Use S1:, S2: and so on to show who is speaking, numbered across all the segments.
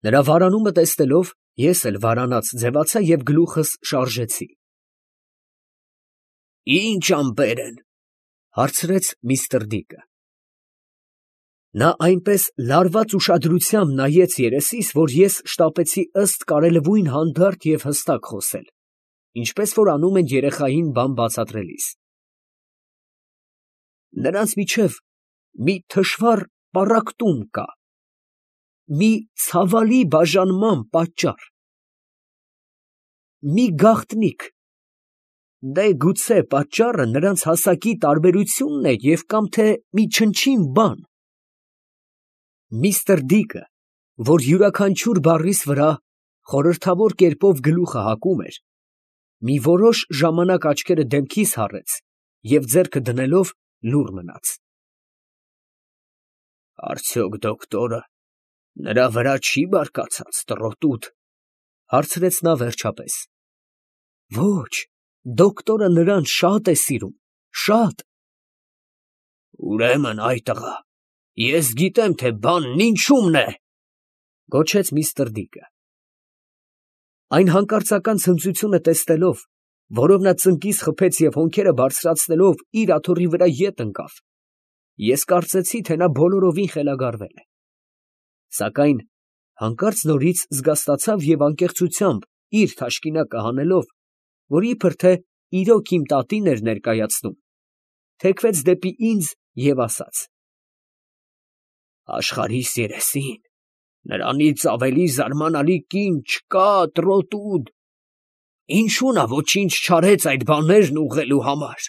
S1: Նրա վարանումը տեսնելով, ես էլ վարանած ձևացա և գլուխս շարժեցի։ «Ի՞նչ ամպեր են, ֊ հարցրեց միստր Դիկը։ Նա այնպես լարված ուշադրությամբ նայեց երեսիս, որ ես շտապեցի ըստ կարելույն հանդարտ և հստակ խոսել, ինչպես որ անում են երեխային բան բացատրելիս։ Նրանց միջև մի թշվառ պառակտում կա, մի ցավալի բաժանման պատճառ, մի գաղտնիք, գուցե պատճառը նրանց հասակի տարբերությունն է և կամ թե մի չնչին բան։ Միստր Դիկը, որ յուրաքանչյուր բառիս վրա խորհրդավոր կերպով գլուխը հակում էր, մի որոշ ժամանակ աչքերը դեմքիս հառեց և ձեռքը դնելով լուռ մնաց։ «Արդյոք դոկտորը նրա վրա չի բարկացած, տրոտուդ, ֊ հարցրեց նա վերջապես։ ֊ Ոչ, դոկտորը նրան շատ է սիրում, շատ։ ֊ Ուրեմն, ա՛յ տղա, ես գիտեմ, թե բանն ինչումն է, ֊ գոչեց միստր Դիկը։ Այն հանկարծական ցնծությունը տեսնելով, որով նա ծնկիս խփեց և հոնքերը բարձրացնելով իր աթոռի վրա ետ ընկավ, ես կարծեցի, թե նա բոլորովին խելագարվել է, սակայն հանկարծ նորից զգաստացավ և անկեղծությամբ իր թաշկինակը հանելով, որ իբր թե իրոք իմ տատին էր ներկայացնում, թեքվեց դեպի ինձ և ասաց. «Աշխարհիս երեսին նրանից ավելի զարմանալի կին չկա, տրոտուդ, ինչու նա ոչինչ չարեց այդ բաներն ուղղելու համար»։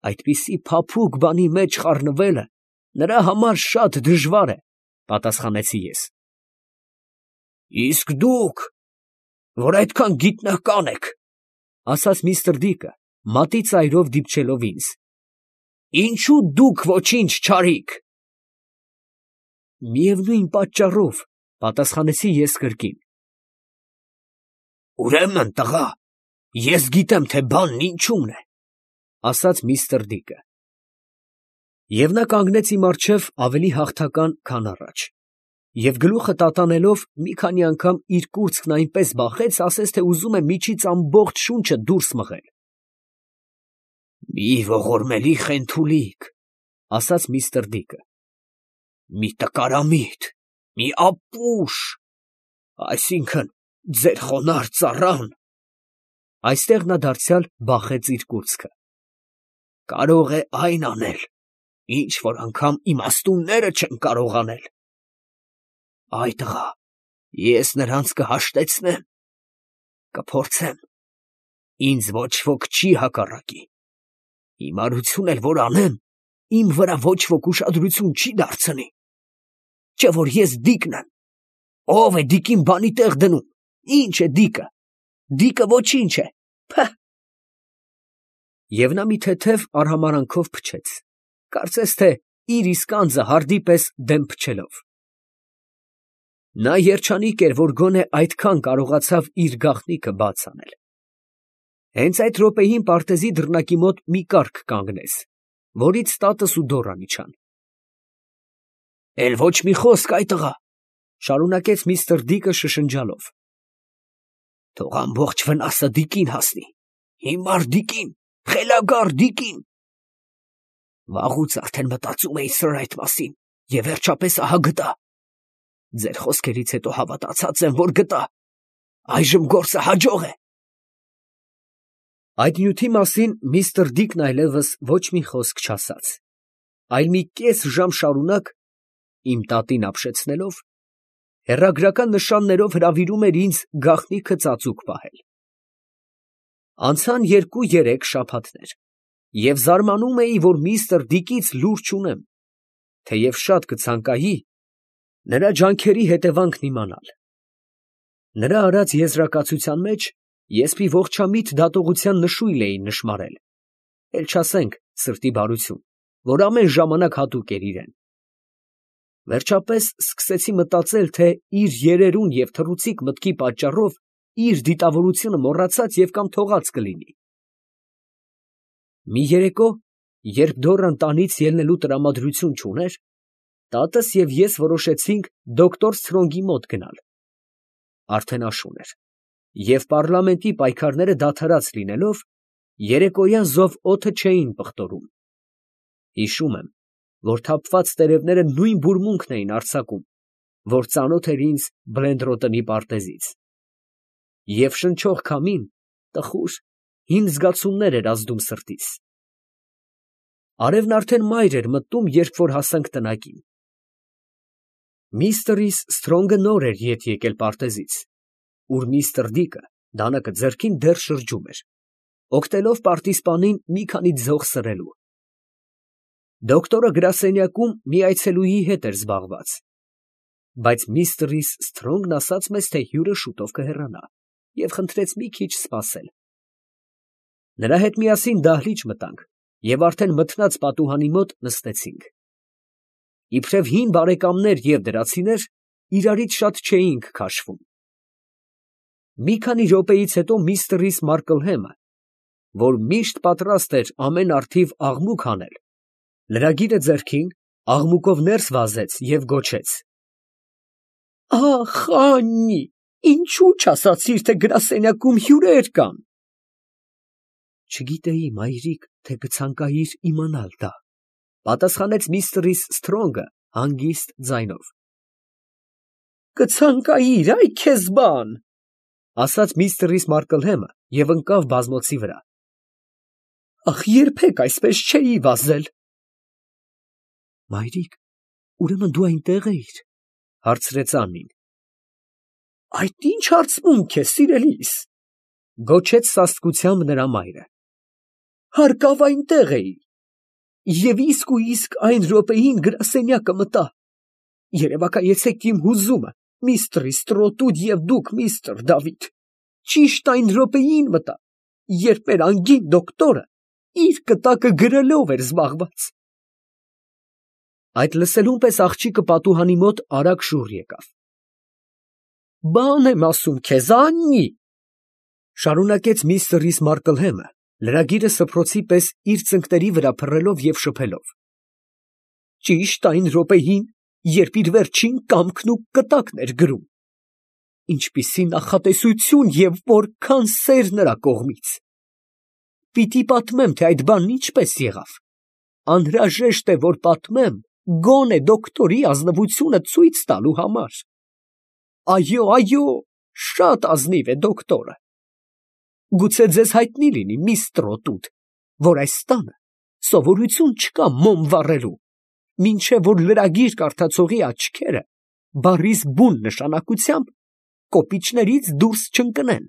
S1: Այդպիսի փափուկ բանի մեջ խառնվելը նրա համար շատ դժվար է, ֊ պատասխանեցի ես։ ֊ Իսկ դուք, որ այդքան գիտնական եք, ֊ ասաց միստր Դիկը, մատի ծայրով դիպչելով ինձ, ֊ ինչո՞ւ դուք ոչինչ չարիք։ ֊ Միևնույն պատճառով, ֊ պատասխանեցի ես կրկին։ ֊ Ուրեմն, տղա, ես գիտեմ, թե բանն ինչումն է, ֊ ասաց միստր Դիկը։ Եվ նա կանգնեց իմ առջև ավելի հաղթական, քան առաջ, և գլուխը տատանելով մի քանի անգամ իր կուրծքն այնպես բախեց, ասես թե ուզում է միջից ամբողջ շունչը դուրս մղել։ ֊ Մի ողորմելի խենթուլիկ, ֊ ասաց միստր Դիկը, ֊ մի տկարամիտ, մի ապուշ, այսինքն՝ ձեր խոնարհ ծառան (այստեղ նա դարձյալ բախեց իր կուրծքը) կարող է այն անել, ինչ որ անգամ իմաստունները չեն կարող անել։ Այ տղա, ես նրանց կհաշտեցնեմ, կփորձեմ, ինձ ոչ ոք չի հակառակի, հիմարություն էլ որ անեմ, իմ վրա ոչ ոք ուշադրություն չի դարձնի, չէ որ ես Դիկն եմ, ո՞վ է Դիկին բանի տեղ դնում, ի՞նչ է Դիկը, Դիկը ոչինչ է, փը։ Եվ նա մի թեթև արհամարհանքով փչեց, կարծես թե իր իսկ անձը հարդի պես դեմ փչելով։ Նա երջանիկ էր, որ գոնե այդքան կարողացավ իր գաղտնիքը բաց անել։ Հենց այդ րոպեին պարտեզի դռնակի մոտ մի կառք կանգնեց, որից տատս ու Դոռան իջան։ ֊ Էլ ոչ մի խոսք, ա՛յ տղա, ֊ շարունակեց միստր Դիկը շշնջալով, ֊ թող ամբողջ վնասը Դիկին հասնի, հիմար Դիկին, խելագար Դիկին։ Վաղուց արդեն մտածում էի սրա այդ մասին և վերջապես ահա գտա։ Ձեր խոսքերից հետո հավատացած եմ, որ գտա, այժմ գործը հաջող է։ Այդ նյութի մասին միստր Դիկն այլևս ոչ մի խոսք չասաց, այլ մի կես ժամ շարունակ, իմ տատին ապշեցնելով, հեռագրական նշաններով հրավիրում էր ինձ գաղտնիքը ծածուկ պահել։ Անցան 2-3 շաբաթներ, և զարմանում էի, որ միստր Դիկից լուր չունեմ, թեև շատ կցանկայի նրա ջանքերի հետևանքն իմանալ։ Նրա արած եզրակացության մեջ ես մի ողջամիտ դատողության նշույլ էի նշմարել, էլ չասենք սրտի բարություն, որ ամեն ժամանակ հատուկ էր իրան։ Վերջապես սկսեցի մտածել, թե իր երերուն և թռուցիկ մտքի պատճառով իր դիտավորությունը մոռացած և կամ թողած կլինի։ Մի երեկո, երբ Դոռան տանից ելնելու տրամադրություն չուներ, Տատս և ես որոշեցինք դոկտոր Սթրոնգի մոտ գնալ. արդեն աշուն էր, և պառլամենտի պայքարները դադարած լինելով, երեկոյան զով օդը չէին պղտորում. հիշում եմ, որ թափված տերևները նույն բուրմունքն էին արձակում, որ ծանոթ էր ինձ Բլենդրոտնի պարտեզից, և շնչող քամին տխուր, հին զգացումներ էր ազդում սրտիս։ Արևն արդեն մայր էր մտնում, երբ որ հասանք տնակին։ Միստր Սթրոնգը նոր էր ետ եկել պարտեզից, ուր միստր Դիկը դանակը ձեռքին դեռ շրջում էր, օգտելով պարտիզպանին մի քանի ձող սրելու։ Դոկտորը գրասենյակում մի այցելուի հետ էր զբաղված, բայց միստր Սթրոնգն ասաց մեզ, թե հյուրը շուտով կհեռանա, և խնդրեց մի քիչ սպասել։ Նրա հետ միասին դահլիճ մտանք և արդեն մթնած պատուհանի մոտ նստեցինք։ Իբրև հին բարեկամներ և դրացիներ, իրարից շատ չէինք քաշվում։ Մի քանի րոպեից հետո միստր Մարկլհեմը, որ միշտ պատրաստ էր ամեն առթիվ աղմուկ անել, լրագիրը ձեռքին, աղմուկով ներս վազեց և գոչեց. «Ախ, Աննի, ինչու չասացիր, թե գրասենյակում հյուրեր կան»։ Չգիտեի, մայրիկ, թե կցանկայիր իմանալ դա, պատասխանեց միստր Սթրոնգը հանգիստ ձայնով։ Կցանկայիր, այ քեզ բան, ասաց միստր Մարկլհեմը և ընկավ բազմոցի վրա։ Ախ, երբեք այսպես չէի վազել։ Մայրիկ, ուրեմն դու այնտեղ էիր, հարցրեց Աննին։ Այդ ինչ հարցմունք է, սիրելիս, գոչեց սաստկությամբ նրա մայրը։ Հարկավ այնտեղ էի, և իսկ այն րոպեին գրասենյակը մտա։ Երևակայեցեք իմ հուզումը, միստր Ստրոտուդ և դուք, միստր Դավիթ, ճիշտ այն րոպեին մտա, երբ մեր անգին դոկտորը իր կտակը գրելով էր զբաղված։ Այդ լսելուն պես աղջիկը պատուհանի մոտ արագ շուռ եկավ։ Բան եմ ասում քեզ, Աննի, շարունակեց միստր Մարկլհեմը, լրագիրը սփռոցի պես իր ծնկների վրա փռելով և շփելով։ Ճիշտ այն րոպեին, երբ իր վերջին կամքն ու կտակն էր գրում։ Ինչպիսի նախատեսություն և որքան սեր նրա կողմից։ Պիտի պատմեմ, թե այդ բանն ինչպես եղավ։ Անհրաժեշտ է, որ պատմեմ, գոնե դոկտորի ազնվությունը ցույց տալու համար։ Այո, շատ ազնիվ է դոկտորը։ Գուցե ձեզ հայտնի լինի, միստր Ստրոտուդ, որ այս տանը սովորություն չկա մոմ վառելու, մինչև որ լրագիր կարդացողի աչքերը բառիս բուն նշանակությամբ կոպիճներից դուրս չընկնեն։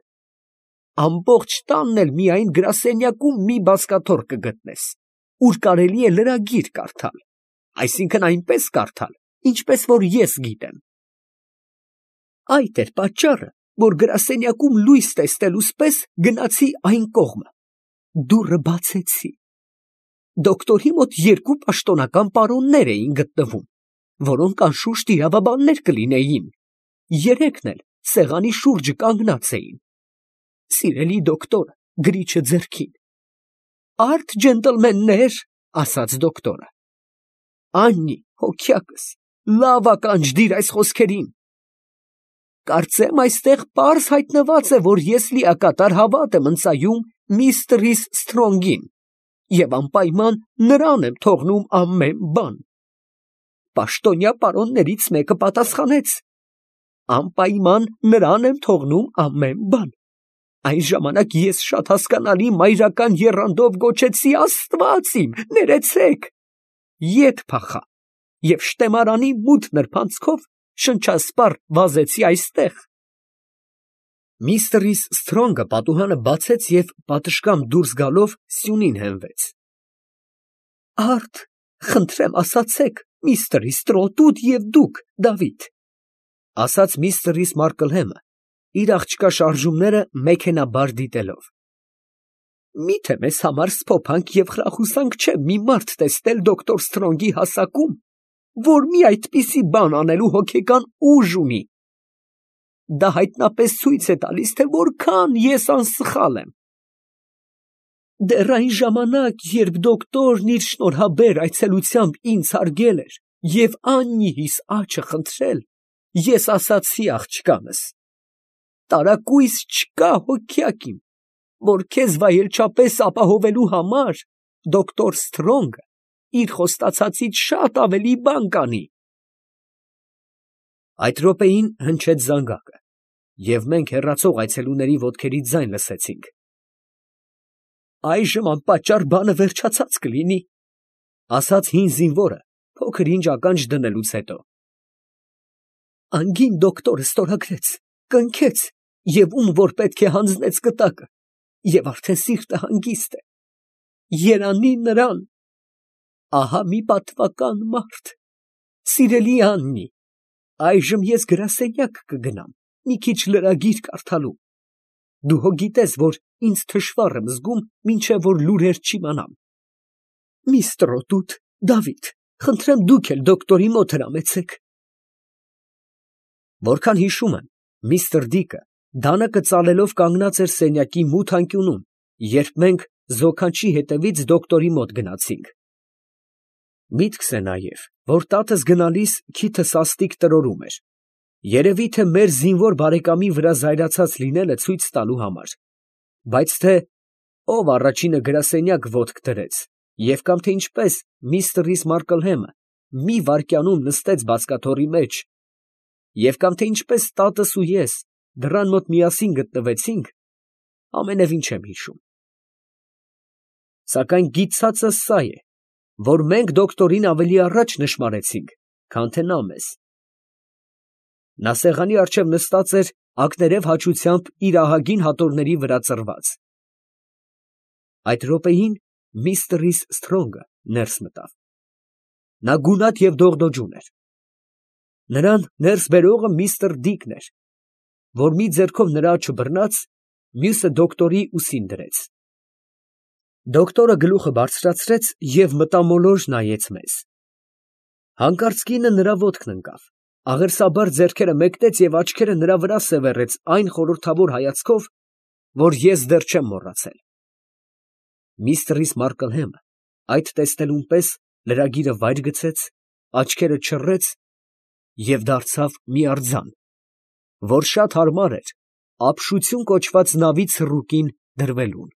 S1: Ամբողջ տանն էլ միայն գրասենյակում մի բազկաթոռ կգտնես, ուր կարելի է լրագիր կարդալ, այսինքն այնպես կարդալ, ինչպես որ ես գիտեմ։ Այդ էր պատճառը, որ գրասենյակում լույս տեսնելուս պես գնացի այն կողմը, դուռը բացեցի։ Դոկտորի մոտ երկու պաշտոնական պարոններ էին գտնվում, որոնք անշուշտ իրավաբաններ կլինեին, երեքն էլ սեղանի շուրջը կանգնած էին։ Սիրելի դոկտորը գրիչը ձեռքին։ Արդ ջենտլմեններ, ասաց դոկտորը։ Աննի, հոգյակս, լավ ականջ դիր այս խոսքերին։ Կարծեմ այստեղ պարզ հայտնված է, որ ես լիակատար հավատ եմ ընծայում միստր Սթրոնգին և անպայման նրան եմ թողնում ամեն բան։ Պաշտոնյա պարոններից մեկը պատասխանեց. Անպայման նրան եմ թողնում ամեն բան։ Այն ժամանակ ես շատ հասկանալի մայրական եռանդով գոչեցի. Աստված իմ, ներեցեք, ետ փախա և շտեմարանի մութ նրբանցքով շնչասպառ վազեցի այստեղ։ Միստր Սթրոնգը պատուհանը բացեց և պատշգամբ դուրս գալով սյունին հենվեց։ Արդ, խնդրեմ ասացեք, միստր Ստրոտուդ և դուք, Դավիթ, ասաց միստր Մարկլհեմը, իր աղջկա շարժումները մեքենաբար դիտելով։ Միթե մեզ համար սփոփանք և խրախուսանք չէ մի մարդ տեսնել դոկտոր Սթրոնգի հասակում, որ մի այդպիսի բան անելու հոգեկան ուժ ունի։ Դա հայտնապես ցույց է տալիս, թե որքան ես անսխալ եմ։ Դեռ այն ժամանակ, երբ դոկտորն իր շնորհաբեր այցելությամբ ինձ հարգել էր Եվ Աննիիս աչը խնդրել, ես ասացի աղջկանս. տարակույս չկա հոգյակ իմ, որ քեզ վայելչապես ապահովելու համար դոկտոր Սթրոնգը իր խոստացածից շատ ավելի բան կանի։ Այդ րոպեին հնչեց զանգակը, և մենք հեռացող այցելուների ոտքերի ձայն լսեցինք։ «Այժմ անպատճառ բանը վերջացած կլինի», ֊ ասաց հին զինվորը փոքր ինչ ականջ դնելուց հետո։ «Անգին դոկտորը ստորագրեց, կնքեց և ում որ պետք է հանձնեց կտակը, և արդեն սիրտը հանգիստ է։ Երանի նրան… Ահա մի պատվական մարդ… Սիրելի Աննի, այժմ ես գրասենյակ կգնամ մի քիչ լրագիր կարդալու։ Դու հո գիտես, որ ինձ թշվառ եմ զգում, մինչև որ լուրեր չիմանամ։ Մի ստրոտուտ, Դավիթ, խնդրեմ դուք էլ դոկտորի մոտ հրամեցեք»։ Որքան հիշում եմ, միստր Դիկը դանակը ծալելով կանգնած էր սենյակի մութ անկյունում, երբ մենք զոքանչի հետևից դոկտորի մոտ գնացինք։ Միտքս է նաև, որ տատս գնալիս քիթը սաստիկ տրորում էր, երևի թե մեր զինվոր բարեկամի վրա զայրացած լինելը ցույց տալու համար, բայց թե ով առաջինը գրասենյակ ոտք դրեց, և կամ թե ինչպես միստր Մարկլհեմը մի վայրկյանում նստեց բազկաթոռի մեջ, և կամ թե ինչպես տատս ու ես դռան մոտ միասին գտնվեցինք, ամենևին չեմ հիշում։ Սակայն գիտցածս սա է, որ մենք դոկտորին ավելի առաջ նշմարեցինք, քան թե նա մեզ։ Նա սեղանի առջև նստած էր ակներև հաճությամբ իր ահագին հատորների վրա ծռված։ Այդ րոպեին միստր Սթրոնգը ներս մտավ։ Նա գունատ և դողդոջուն էր։ Նրան ներս բերողը միստր Դիկն էր, որ մի ձեռքով նրա աջը բռնած, մյուսը դոկտորի ուսին դրեց։ Դոկտորը գլուխը բարձրացրեց և մտամոլոր նայեց մեզ։ Հանկարծ կինը նրա ոտքն ընկավ, աղերսաբար ձեռքերը մեկնեց և աչքերը նրա վրա սևեռեց այն խորհրդավոր հայացքով, որ ես դեռ չեմ մոռացել։ Միստր Մարկլհեմը այդ տեսնելուն պես լրագիրը վայր գցեց, աչքերը չռեց և դարձավ մի արձան, որ շատ հարմար էր ապշություն կոչված նավի ցռուկին դրվելուն։